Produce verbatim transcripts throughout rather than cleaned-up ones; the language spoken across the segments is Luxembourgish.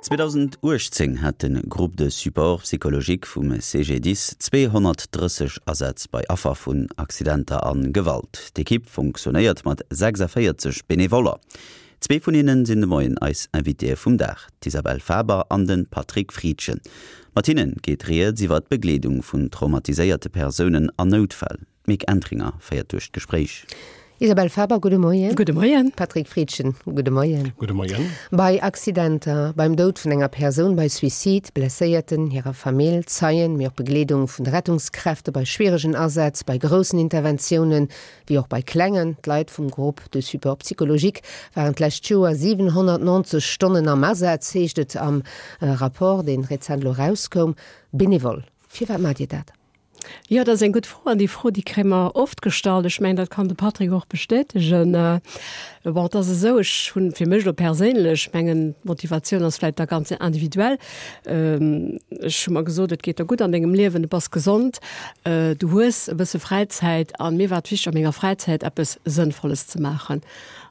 zweedausenduechtzéng hat de Groupe de support psychologique vum C G D I S zweehonnertdrësseg Asätz bei Affer vun Accidenter a Gewalt. D'Ekipp funktionéiert mat sechsavéierzeg Benevoller. Zwee vun hinnen sinn de Moien eis Invitéë vum Dag, d'Isabelle Faber an de Patrick Friedgen. Mat hinnen geet rieds iwwer d'Begleedung vun traumatiséierte Persounen an Noutfäll. D'Mick Entringer féiert duerch d'Gespréich. Isabelle Faber, gudde Moien. Gudde Moien. Patrick Friedgen, gudde Moien. Gudde Moien. Bei Accidenter, beim Doud vun enger Persoun, bei Suicide, Blesséierten, hirer Famill, Zeien, mee och Begleedung vun de Rettungskräfte bei schwieregen Asätz, bei groussen Interventiounen, wéi och bei klengen, d'Leit vum Groupe de support psychologique waren d'lescht Joer siwenhonnertnonzeg Stonnen am Asaz, heescht et am Rapport, dee rezent elo erauskoum. Benevol, firwat maacht Dir dat? Jo, dat ass eng gutt Fro an déi Fro, déi kréie mer oft gestallt. Ech mengen, dat kann de Patrick och bestätegen. Bon, et ass esou, ech hunn fir mech elo perséinlech, mengen, d'Motivatioun ass vläicht da ganz individuell, ech hu mer gesot, et geet der gutt an dengem Liewen, du bass gesond, du hues e bësse Fräizäit an mir war et wichteg, a menger Fräizäit eppes Sënnvolles ze maachen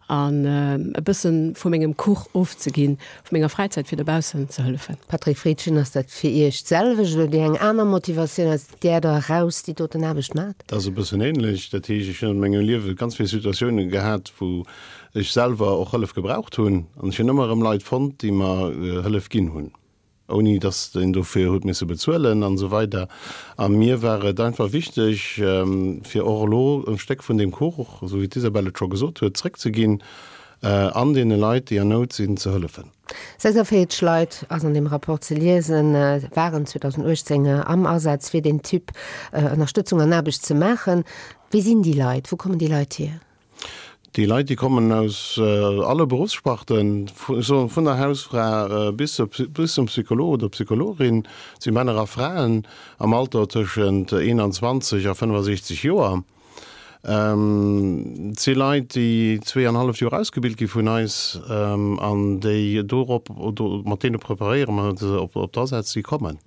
an e bësse vu mengem Kuch ofzeginn, vu menger Fräizäit, fir dobaussen ze hëllefen. Patrick Friedgen, Ass dat fir Iech d'selwecht oder hutt Dir eng aner Motivatioun, aus där Der eraus déi doten Aarbecht maacht? Dat ass e bëssen ähnlech. Dat heescht, ech hunn an mengem Liewe ganz vill Situatioune gehat, wou ech selwer och Hëllef gebraucht hunn an ech hunn ëmmer erëm Leit fonnt, déi mer Hëllef ginn hunn. Ouni dass een dofir huet misse bezuelen an esou weider. A mir war et einfach wichteg, fir och elo e Stéck vun deem Kuch, esou wéi d'Isabelle et scho gesot huet, zréckzeginn an deene Leit, déi an Nout sinn, ze hëllefen. Sechsavéierzeg Leit, ass an deem Rapport ze liesen, waren zweedausenduechtzéng am Asaz, fir deen Typ Ënnerstëtzung an Aarbecht ze maachen. Wie sinn déi Leit? Wou kommen déi Leit hier? Déi Leit, déi kommen aus alle Beruffssparten, vun der Hausfra bis zum Psycholog oder Psychologin. Et si Männer a Fraen am Alter tëschent eenanzwanzeg a fënnefasechzeg Joer. Et si Leit, déi zwee an halleft Joer ausgebilt gi vun eis an déi dorop, mat deene preparéiere mer se op d'Asätz, déi kommen.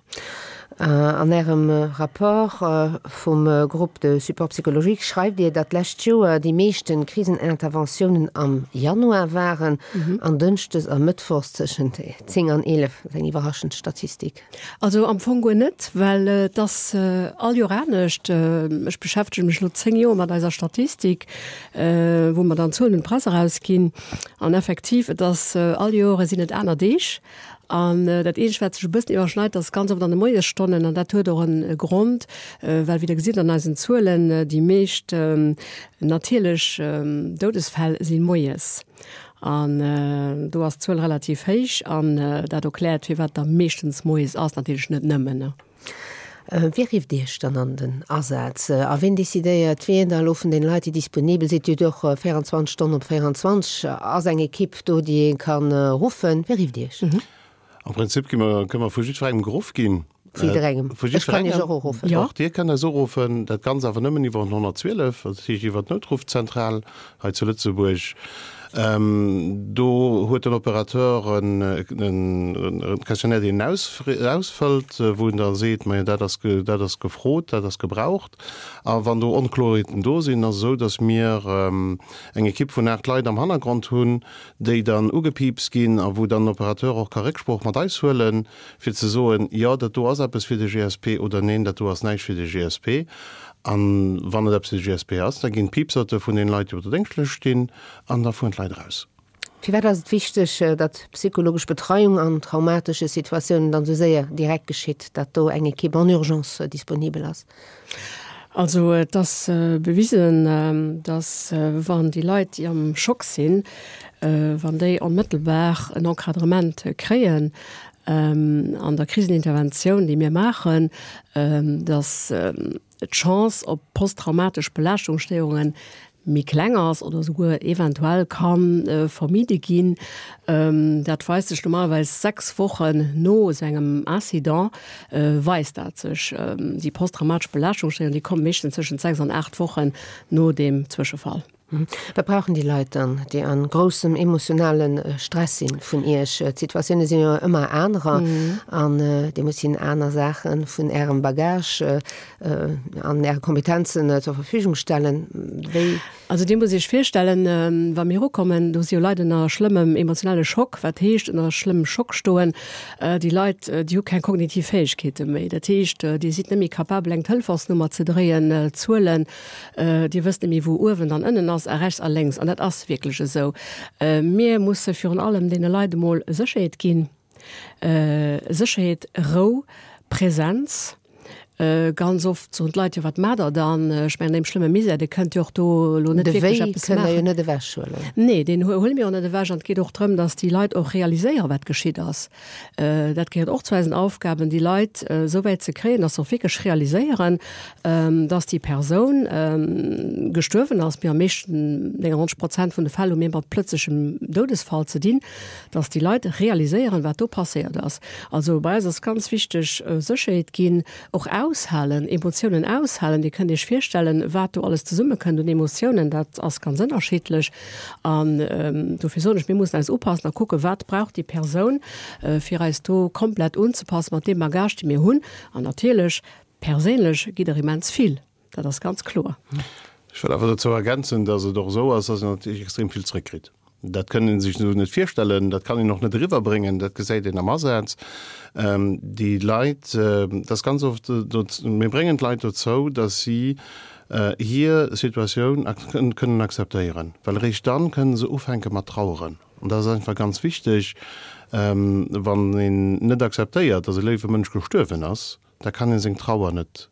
An Ärem Rapport vum Groupe de support psychologique schreift Dir, datt d'lescht Joer déi meeschten Kriseninterventiounen am Januar waren an dënschdes a mëttwochs tëschent zéng an eelef. Dat ass eng iwwerraschend Statistik. Also am Fong guer net, well et ass all Joer anescht. Ech beschäftege mech elo zéng Joer mat eiser Statistik, wou mer dann Zuelen un d'Press erausginn. An effektiv, et ass all Joer sinn et aner Deeg. An dat eenzegt, wat sech e bëssen iwwerschneit, ass ganz oft an de Moiesstonnen. An dat huet och e Grond, well, wéi Der gesitt an eisen Zuelen, déi meescht natierlech Doudesfäll si moies. An do ass d'Zuel relativ héich. An dat erkläert, firwat da meeschtens moies ass, natierlech net nëmmen. Wie rifft Iech dann an den Asaz? A wien decidéiert, wien da elo vun den Leit, déi disponibel sinn? Dir hutt och véierundzwanzeg Stonnen op véierundzwanzeg, ass eng Ekipp do, déi ee ka ruffen. Wie rifft Iech? Am Prinzip gi mer, kënne mer vu jiddwerengem geruff ginn. Vu jidderengem? Vu Ech kann Iech jiddwerengem. och uruffen. Och Dir kënnt eis uruffen. Dat Ganzt awer nëmmen iwwer den honnertzwielef, dat heescht iwwer d'Noutruffzentral hei zu Lëtzebuerg. Do huet den Opérateur en Questionnaire, deen en ausfëllt, wou en da seet, majo dat ass, dat ass gefrot, dat ass gebraucht. A wann do Onkloerheeten do sinn, ass et esou, datt mir eng Ekipp vun aacht Leit am Hannergrond hunn, déi dann ugepiipst ginn a wou dann den Opérateur och ka Récksprooch mat eis huelen, fir ze soen, jo, dat do ass eppes fir de G S P oder neen, dat do ass näischt fir de G S P. A wann et eppes fir de G S P ass, da ginn d'Piipserte vun deene Leit, déi op der Déngschtlëscht stinn, an da fueren d'Leit eraus. Firwat ass et wichteg, datt psychologesch Betreiung an traumatesche Situatiounen dann esou séier direkt geschitt, datt do eng Ekipp en urgence disponibel ass? Also et ass bewisen, datt wann déi Leit, déi am Schock sinn, wann déi onmëttelbar en Encadrement kréien an der Kriseninterventioun, déi mir maachen, datt d'Chance op posttraumatesch Belaaschtungsstéierunge méi kleng ass oder esouguer eventuell ka vermidde ginn. Dat weist sech normalerweis sechs Wochen no esou engem Incident, weist dat sech. Déi posttraumatesch Belaaschtungsstéierung, déi kommt meeschtens tëschent sechs an aacht Wochen no deem Zwëschefall. Wat brauchen déi Leit dann, déi an groussem emotionale Stress sinn vun Iech? D'Situatioune sinn jo ëmmer anerer an Dir musst hinnen aner Saache vun Ärem Bagage an Äre Kompetenzen zur Verfügung stellen. Wéi? Also Dir musst Iech virstellen, wa mir erukommen, do si jo Leit ënner schlëmmem emotionale Schock, wat heescht ënner schlëmmem Schock stoen? Déi Leit, déi hu keng kognitiv Fäegkeete méi. Dat heescht, Dir sidd net méi capabel eng Telefonsnummer ze dréien, Zuelen, Dir wësst net méi wou uewen an ënnen ass a rechts a lénks. An dat ass wierklech esou. Mir musse virun allem deene Leit emol Sécherheet ginn, Sécherheet, Rou, Präsenz. Ganz oft soen d'Leit, jo wat maacht Der dann? Ech mengen, an deem schlëmme Misär, Dir kënnt jo och do elo net De wierklech Wéi eppes kënnt Der jo maachen. net ewechhuelen. Nee, deen huele mir och net ewech. An et geet och drëm, datt déi Leit och realiséieren, wat geschitt ass. Dat gehéiert och zu eisen Aufgaben, déi Leit esou wäit ze kréien, datt se och wierklech realiséieren, datt déi Persoun gestuerwen ass. Mir am meeschten, neunundneunzeg Prozent vun de Fäll hu mir mat plëtzlechem Doudesfall ze dinn, datt déi Leit realiséieren, wat do passéiert ass. Also bei eis ass ganz wichteg, Sécherheet ginn, och aushalen, Emotiounen aushalen. Dir kënnt Iech virstellen, wat do alles zesummekënnt un Emotiounen, dat ass ganz ënnerschiddlech. An dofir soen ech, mir mussen eis upassen a kucken, wat brauch déi Persoun, fir eis do komplett unzepassen mat deem Bagage, dee mir hunn. An natierlech, perséinlech gitt der immens vill, dat ass ganz kloer. Ech wëll awer dozou ergänzen, dass et och esou ass, dass een natierlech extrem vill zréckkritt. Dat kënn ee sech esou net virstellen, dat kann een och net eriwwerbréngen, dat gesäit een am Asaz. Déi Leit, dat ass ganz oft, mir bréngen d'Leit dozou, datt si hir Situatioun kënnen akzeptéieren, well eréischt dann kënnen se ufänke mat traueren. An dat ass einfach ganz wichteg, wann een net akzeptéiert, datt e léiwe Mënsch gestuerwen ass, da kann ee seng Trauer net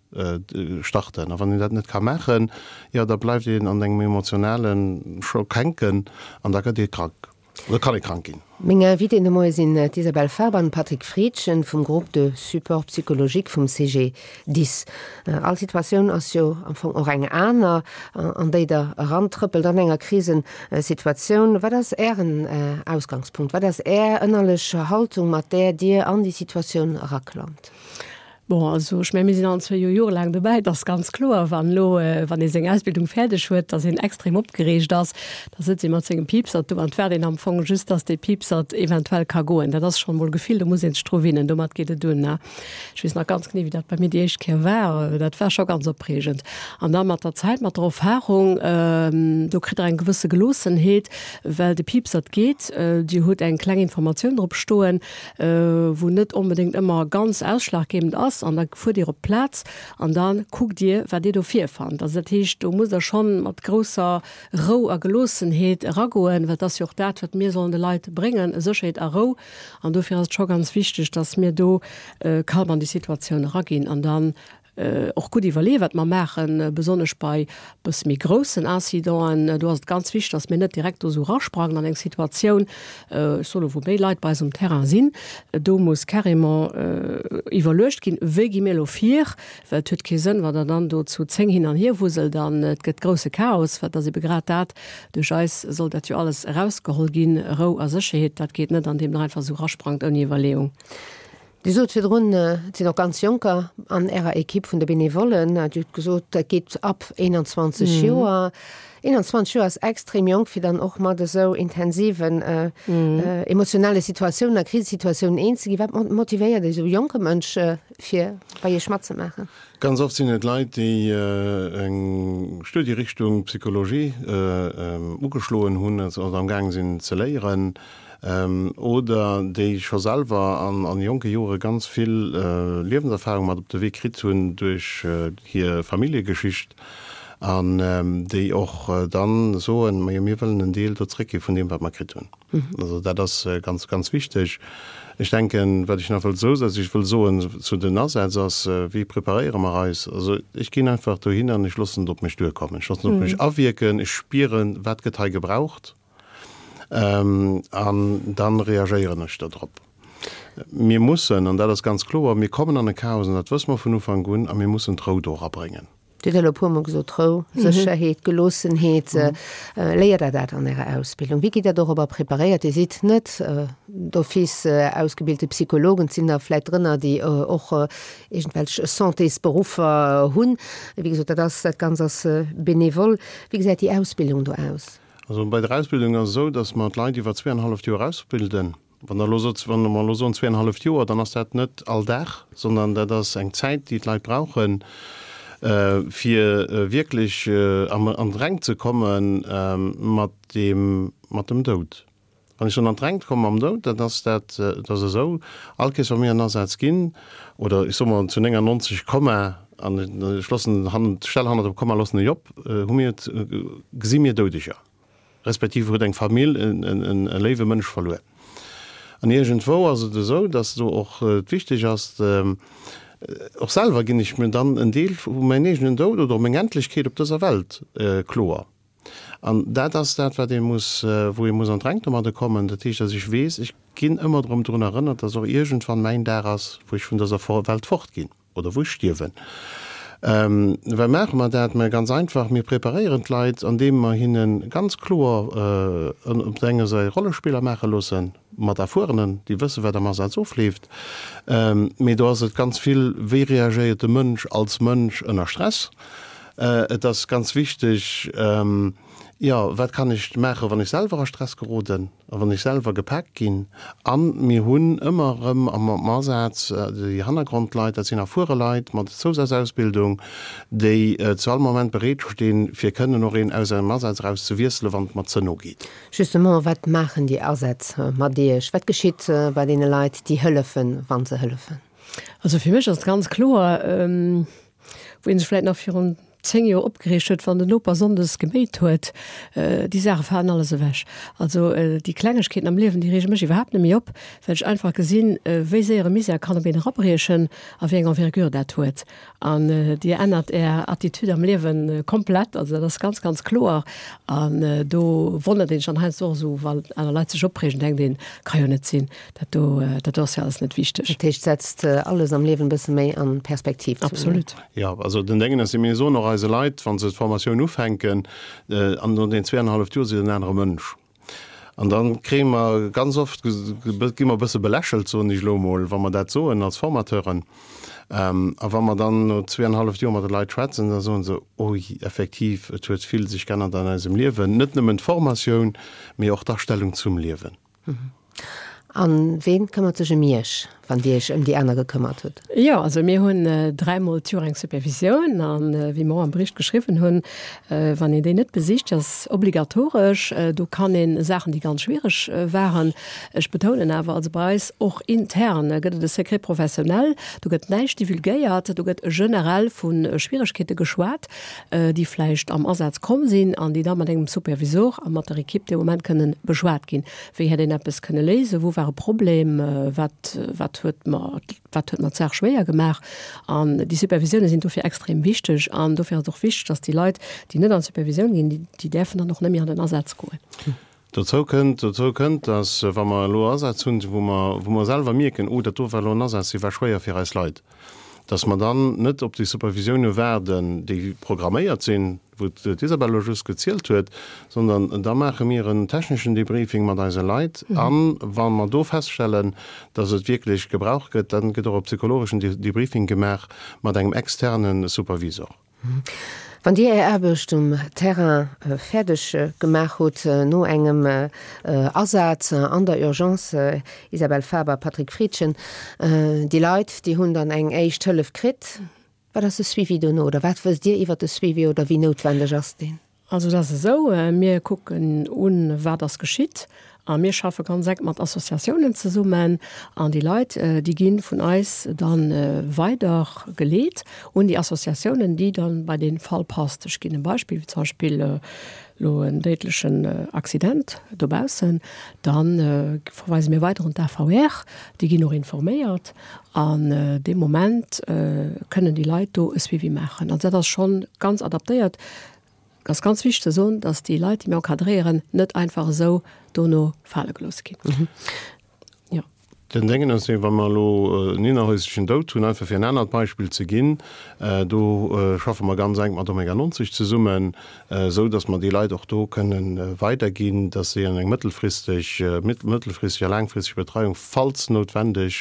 starten. A wann een dat net ka maachen, jo, da bleift een an engem emotionale Schock hänken an da gëtt ee krank oder kann ee krank ginn. Meng Invitéen de Moie sinn d'Isabelle Faber an de Patrick Friedgen vum Groupe de support psychologique vum CGDIS. All Situatioun ass jo am Fong och eng aner, an déi Der erantrëppelt an enger Krisesituatioun. Wat ass Ären Ausgangspunkt? Wat ass Är ënnerlech Haltung, mat där Dir an déi Situatioun eraklammt? Bon, also ech mengen, mir sinn allen zwee jo jorelaang dobäi. Et ass ganz kloer, wann elo, wann ee seng Ausbildung fäerdeg huet, dass een extrem opgereegt ass. Da sëtzt ee mat sengem Piipsert do an et waart een am Fong just, dass dee Piipsert eventuell ka goen. Dat ass schonn emol e Gefill, do muss ee sech dru winnen. Domat geet et un, ne? Ech weess nach ganz genee, wéi dat bei mir déi éischt Kéier war. Dat war scho ganz opreegend. An da mat der Zäit, mat der Erfahrung, do kritt Der eng gewësse Geloossenheet, well de Piipsert geet. Dir hutt eng kleng Informatioun drop stoen, wou net onbedéngt ëmmer ganz ausschlaggebend ass, an da fuert Dir op d'Plaz an da kuckt Dir, wat Dir do virfannt. Also dat heescht, do musst Der schonn mat grousser Rou a Geloossenheet eragoen, well et ass jo och dat, wat mir sollen de Leit bréngen, Sécherheet a Rou. An dofir ass et scho ganz wichteg, dass mir do calme an déi Situatioun eraginn an dann och gutt iwwerleeë wat mer maachen, besonnesch bei bësse méi groussen Incidenten. Do ass et ganz wichteg, datt mir net direkt do esou erasprangen an eng Situatioun, ech soe lo, wou méi Leit bei eis um Terrain sinn. Do muss carrément iwwerluecht ginn, wéi gi mir elo vir, well et huet kee Sënn, wann Der dann do zu zéng hin an hier wuselt an et gëtt grousse Chaos, well et ass ebe grad dat, duerch eis soll dat jo alles erausgeholl ginn, Rou a Sécherheet, dat geet net, andeem Der einfach esou erasprangt ouni Iwwerleeung. Dir sot virdrun, et sinn och ganz Jonker an Ärer Ekipp vun de Benevollen. Dir hutt gesot, dat geet ab eenanzwanzeg Joer. Eenanzwanzeg Joer ass extrem jonk, fir dann och mat esou intensiven emotionale Situatiounen a Krisesituatiounen eens ze ginn. Wat motivéiert esou jonke Mënsch, fir bei Iech matzemaachen? Ganz oft sinn et Leit, déi eng Studierichtung Psychologie ugeschloen hunn oder am Gaang sinn ze léieren. Oder déi scho selwer an jonke Jore ganz vill Liewenserfahrung mat op de Wee kritt hunn duerch hir Familljegeschicht an déi och dann soen, majo mir wëllen en Deel do zréckgi vun deem wat mer kritt hunn. Also dat ass ganz, ganz wichteg. Ech denken, wat ech nach wëll zousätzlech wëll soen zu den Asätz ass, wéi preparéiere mer eis? Also ech ginn einfach dohin an ech loossen et op mech duerkommen. Ech loossen et op mech awierken, ech spieren, wat gëtt hei gebraucht. An dann reagéieren ech do drop. Mir mussen, an dat ass ganz kloer, mir kommen an e Chaos, an dat wësse mer vun Ufank un, a mir mussen d'Rou do erabréngen. Dir hutt elo e puermol gesot, Rou, Sécherheet, Geloossenheet. Léiert Der dat an Ärer Ausbildung? Wéi gitt Der dorobber preparéiert? Dir sidd net d'office ausgebilte Psychologen, et sinn der vläicht drënner, déi och iergendwelch Santésberuffer hunn. Wéi gesot, dat ass, dat Ganzt ass benevol. Wéi gesäit déi Ausbildung do aus? Also bei der Ausbildung ass et esou, datt mer d'Leit iwwer zweeanenhalleft Joer ausbilden. Wann Der elo sot, wann mer elo soen zweeanenhalleft Joer, dann ass dat net all Dag, sondern dat ass eng Zäit, déi d'Leit brauchen, fir wierklech an d'Rengt ze komme mat deem, mat dem Doud. Wann ech soen an d'Rengt komme mam Doud, dann ass dat, dat ass esou, all Kees wa mir an Asaz ginn, oder ech soe mol zu néngannonzeg Komma, an ech loossen hannen, d'Stell hannert dem Komma loossen ech op, hu mir, gesi mir Doudeger. Respektiv huet eng Famill e léiwe Mënsch verluer. An iergendwou ass et esou, dass do och et wichteg ass, och selwer ginn ech mir dann en Deel vu mäin eegenen Doud oder meng Endlechkeet op dëser Welt kloer. An dat ass dat, wat ee muss, wou ee muss an d'Rengt domadde kommen. Dat heescht, dass ech weess, ech ginn ëmmer erëm drun erënnert, dass och iergendwann mäin Dag ass, wou ech vun dëser Welt fortginn. Oder wou ech stierwen. Wei maache mer dat? Mä ganz einfach, mir preparéieren d'Leit, andeem mer hinne ganz kloer op der enger Säit Rollespiller maache loosse mat Erfuerenen, déi wësse wat am Asaz ofleeft. Mee do ass et ganz vill, wéi reagéiert de Mënsch als Mënsch ënner Stress? Et ass ganz wichteg, jo, wat kann ech maachen, wann ech selwer a Stress geroden a wann ech selwer gepaakt ginn? A mir hunn ëmmer erëm am Asaz déi Hannergrondleit, dat sinn erfuere Leit mat Zousazausbildung, déi zu all Moment bereet stinn, fir kënnen och een aus engem Asaz eraus ze wiesselen, wann et mer ze no geet. Justement, wat maachen déi Asätz mat Iech? Wat geschitt bei deene Leit, déi hëllefen, wa se hëllefen? Also fir mech ass et ganz kloer, wou ee sech vläicht nach virun zéng Joer opgereegt huet, wann den Noper sonndes geméit huet, déi Saache falen alles ewech. Also déi Klengegkeeten am Liewen, déi reege mech iwwerhaapt net méi op, well ech einfach gesinn, wéi séier e Misär kann op een erabriechen a wéi eng Envergure dat huet. An Dir ännert Är Attitude am Liewe komplett. Also dat ass ganz, ganz kloer. An do wonnert een sech dann heiansdo och esou, wann aner Leit sech opreegen, denkt een, ka jo net sinn, dat do, dat do ass jo alles net wichteg. Dat heescht, setzt alles am Liewen e bësse méi an Perspektiv. Absolut. Jo, also den Déngen ass, mir soen och eise Leit, wa se d'Formatioun ufänken, an no den zweeanenhalleft Joer sidd en anere Mënsch. An da kréie mer ganz oft, gi mer e bësse belächelt, soen ech elo emol, wa mer dat soen als Formateuren. A wa mer dann no zweeanenhalleft Joer mat de Leit schwätzen, da soen se, Ui, effektiv, et huet vill sech geännert an eisem Liewen, net nëmmen d'Formatioun, mee och d'Astellung zum Liewen. A ween këmmert sech ëm Iech, wann Dir Iech ëm déi aner gekëmmert hutt? Jo, also mir hunn dräimol d'Joer eng Supervisioun an, wéi mer och am Bericht geschriwwen hunn, wann een déi net besicht, déi ass obligatoresch, do kann ee Saachen, déi ganz schwiereg waren, ech betounen awer, also bei eis och intern gëtt et e Secret professionnel, do gëtt näischt divulgéiert, do gëtt generell vu Schwieregkeete geschwat, déi vläicht am Asaz komm sinn an déi da mat engem Supervisor a mat der Equipe dee Moment kënnen beschwat ginn. Wéi hätt een eppes kënne léisen? Wou war e Problem? Wat, wat huet mer, wat huet mer d'Saach schwéier gemaach? An déi Supervisioune sinn dofir extrem wichteg. An dofir ass et och wichteg, dass déi Leit, déi net an d'Supervisioun ginn, déi, déi däerfen dann och net méi an den Asaz goen. Dozou kënnt, dozou kënnt, dass, wa mer elo Asätz hunn, wou mer, wou mer selwer mierken, oh, dat do war elo en Asaz, dee war schwéier fir eis Leit, dass mer dann net op déi Supervisioune waarden, déi programméiert sinn, wou d'Isabel elo just gezielt huet, sondern da maache mir en techneschen Debriefing mat eise Leit. A wa mer do feststellen, dass et wierklech gebraucht gëtt, dann gëtt och e psychologeschen Debriefing gemaach mat engem externe Supervisor. Wann Dir Är Aarbecht um Terrain fäerdeg gemaach hutt, no engem Asaz an der Urgence, Isabelle Faber, Patrick Friedgen, déi Leit, déi hunn dann eng éischt Hëllef kritt, wat ass de Suivi dono oder wat wësst Dir iwwert de Suivi oder wéi noutwendeg ass deen? Also et ass esou, mir kucken un, wat ass geschitt a mir schaffe ganz enk mat Associatiounen zesummen an déi Leit, déi gi vun eis da weider geleet un déi Associatiounen, déi dann bei dee Fall passt. Ech ginn e Beispill, wéi zum Beispill elo en déidlechen Accident dobaussen, da verweise mir weider un d'AVR, déi ginn och informéiert an dee Moment kënnen déi Leit do e Suivi maachen. Also dat ass schonn ganz adaptéiert. Et ass ganz wichteg ze soen, dass déi Leit, déi mir encadréieren, net einfach esou dono fale gelooss ginn. Jo. Den Déngen ass, wa mer elo en innerhäuslechen Doud hunn, einfach fir en anert Beispill ze ginn, do schaffe mer ganz enk mat Omega neunzeg zesummen, esou datt mer déi Leit och do kënnen weiderginn, datt si an eng mëttelfristeg, mëttelfristeg a laangfristeg Betreiung, falls noutwendeg,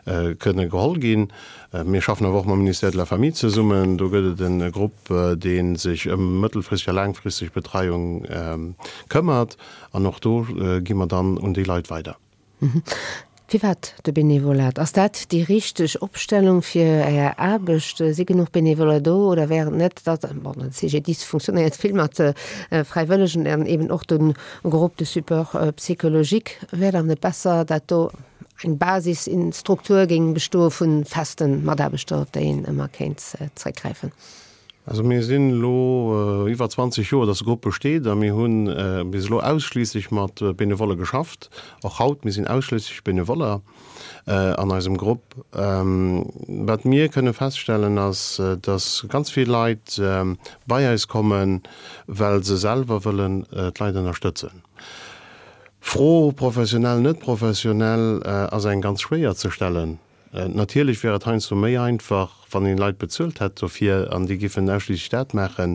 kënne geholl ginn. Mir schaffen awer och mam Ministère de la Famille zesummen. Do gëtt et e Grupp, dee sech ëm mëttelfristeg a laangfristeg Betreiung këmmert. An och do gi mer dann un déi Leit weider. Firwat de Benevolat? Ass dat déi richteg Opstellung fir Är Aarbecht? Si genuch Benevoller do oder wär et net, datt, bon, den C G D I S funktionéiert vill mat Fräiwëllegen an eben och de Groupe de support psychologique, wär dann net besser, dat do eng Basisstruktur géing bestoe vu feste Mataarbechter, op déi een ëmmer kéint zréckgräifen? Also mir sinn elo iwwer zwanzeg Joer, dass de Grupp besteet a mir hu bis elo ausschliisslech mat Benevolle geschafft. Och haut, mir sinn ausschliisslech Benevoller an eisem Grupp. Wat mir kënne feststellen ass, dass ganz vill Leit bei eis kommen, well se selwer wëllen d'Leit ënnerstëtzen. D'Fro professionell, net professionell ass eng ganz schwéier ze stellen. Natierlech wär et heiansdo méi einfach, wann een Leit bezuelt hätt dofir an déi giffen ausschliisslech dat maachen.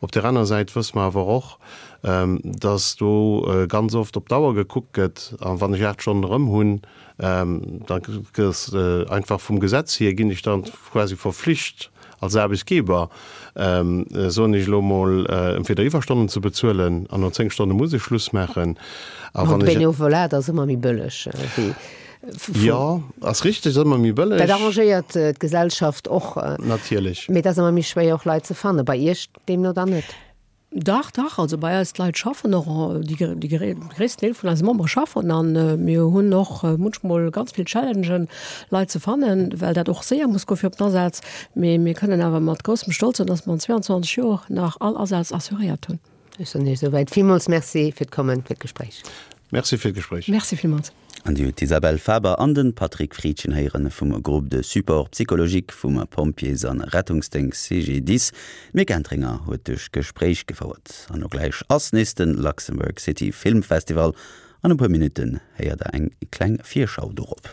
Op där aner Säit wësse mer awer och, dass do ganz oft op d'Auer gekuckt gëtt, a wann ech aacht Stonnen erëm hunn, da gëss einfach vum Gesetz hier ginn ech dann quasi verflicht als Aarbechtsgeber, soen ech elo mol, entweder Iwwerstonnen ze bezuelen an no zéng Stonne muss ech Schluss maachen. A wann ech. Benevolat ass ëmmer méi bëlleg wéi. Jo, ass richteg, ass ëmmer méi bëlleg. Dat arrangéiert d'Gesellschaft och. Natierlech. Mee et ass ëmmer méi schwéier och Leit ze fannen. Bei Iech deemno dann net? Dach, dach, also bei eis d'Leit schaffen och, déi déi gréissten Deel vun eise Membere schaffen an mir hunn och munchmol ganz vill Challengen, Leit ze fannen, well dat och séier muss goe fir op den Asaz. Mee mir kënnen awer mat groussem Stolz soen, dass mer an zweiundzwanzeg Joer nach all Asaz assuréiert hunn. Ech soen Iech esouwäit villmools Merci fir d'Kommen, fir d'Gespréich. Merci fir d'Gespréich. Merci villmools. An Dir hutt d'Isabelle Faber an de Patrick Friedgen héieren vum Groupe de support psychologique vum Pompjees an Rettungsdéngscht C G D I S. D'Mick Entringer huet duerch d'Gespréich gefouert. An elo gläich ass nees de Luxembourg City Film Festival. An e puer Minutten héiert der eng kleng Virschau dorop.